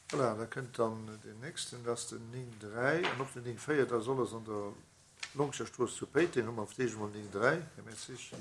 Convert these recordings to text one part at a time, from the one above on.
Voilà, da kënnt dann deen nächsten, dat ass den 9, 3 an och den 9, 4, dat ass alles an der Longscherstrooss zu Péiteng. Hu mer fir d'éischt emol 9, 3, Här Mertzig.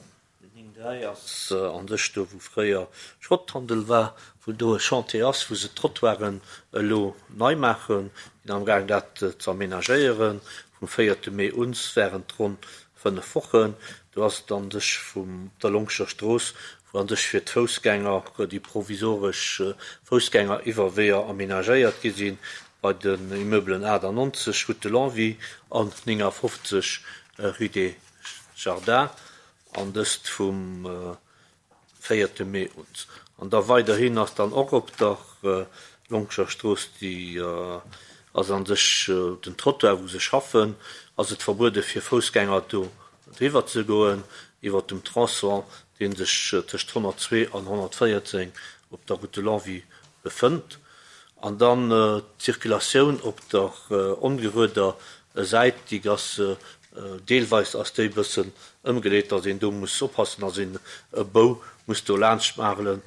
Den 9, 3 ass an sech do, wou fréier Schrotthandel war, wou do e Chantier ass, wou se d'Trottoiren elo nei maachen, sinn amgaang dat ze aménagéieren vum véierte Mee un während ronn 5 Wochen. Do ass et an sech vum der Longscher Strooss, wou an sech fir d'Foussgänger déi provisoresch Foussgängeriwwerweeër aménagéiert gi sinn, bei den Immeublen 98 Route de Longwy an 59 Rue des Jardins, an dëst vum véierte Mee un. An da weiderhin ass dann och op der Longscher Strooss, déi ass an sech den Trottoir, wou se schaffen, ass et verbuede fir Foussgänger do driwwer ze goen, iwwer dem Tronçon, dee sech tëscht 102 an 114 op der Route de Longwy befënnt. An dann d'Circulatioun op der ongerueder Säit, déi ass deelweis ass déi e bëssen ëmgeleet, datt een do muss oppassen, datt een e Bou muss do laanscht maarelen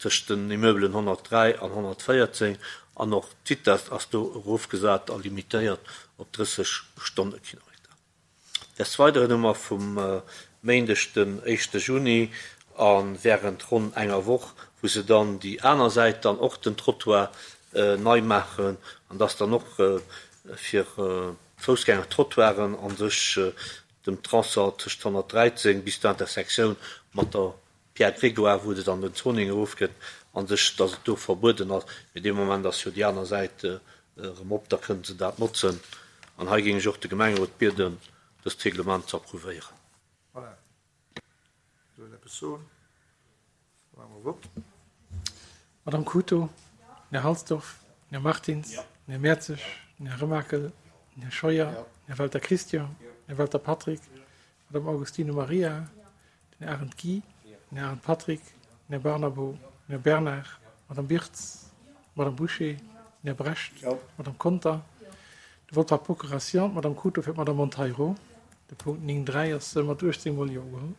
tëscht den Immeubelen 103 an 114. An och d'Vitess ass do erofgesat a limitéiert op 30 Stonnekilometer. Des Weideren hu mer vum Méindeg den éischte Juni a wärend ronn enger Woch, wou se dann déi aner Säit dann och den Trottoir nei maachen an dass dann och fir d'Foussgängertrottoiren a sech dem Tronçon tëscht 113 bis zur Intersektioun mat der Pierre Grégoire, wou et an den Zoning erofgëtt, a sech, dass et do verbueden ass. Mee dee Moment ass jo déi aner Säit erëm op, da kënnen se dat notzen. An hei géing ech och de Gemengerot bieden, dëst Reglement ze approuvéieren. Voilà. Soll een eppes soen? Da maache mer Vott. Madame Cruto, den Här Halsdorf, den Här Martins, den Här Mertzig, den Här Remakel, den Här Scheuer, den Här Welter Christian, den Här Welter Patrick, d'Madame Augustino Maria, den Här Arendt Guy, den Här Arendt Patrick, den Här Barnabo, den Här Bernard, d'Madame Birtz, d'Madame Bouché, den Här Brecht, d'Madame Conter. De Vote par procuration, d'Madame Cruto fir d'Madame Monteiro. De Punkt 9.3 ass mat 18 mol Jo ugeholl.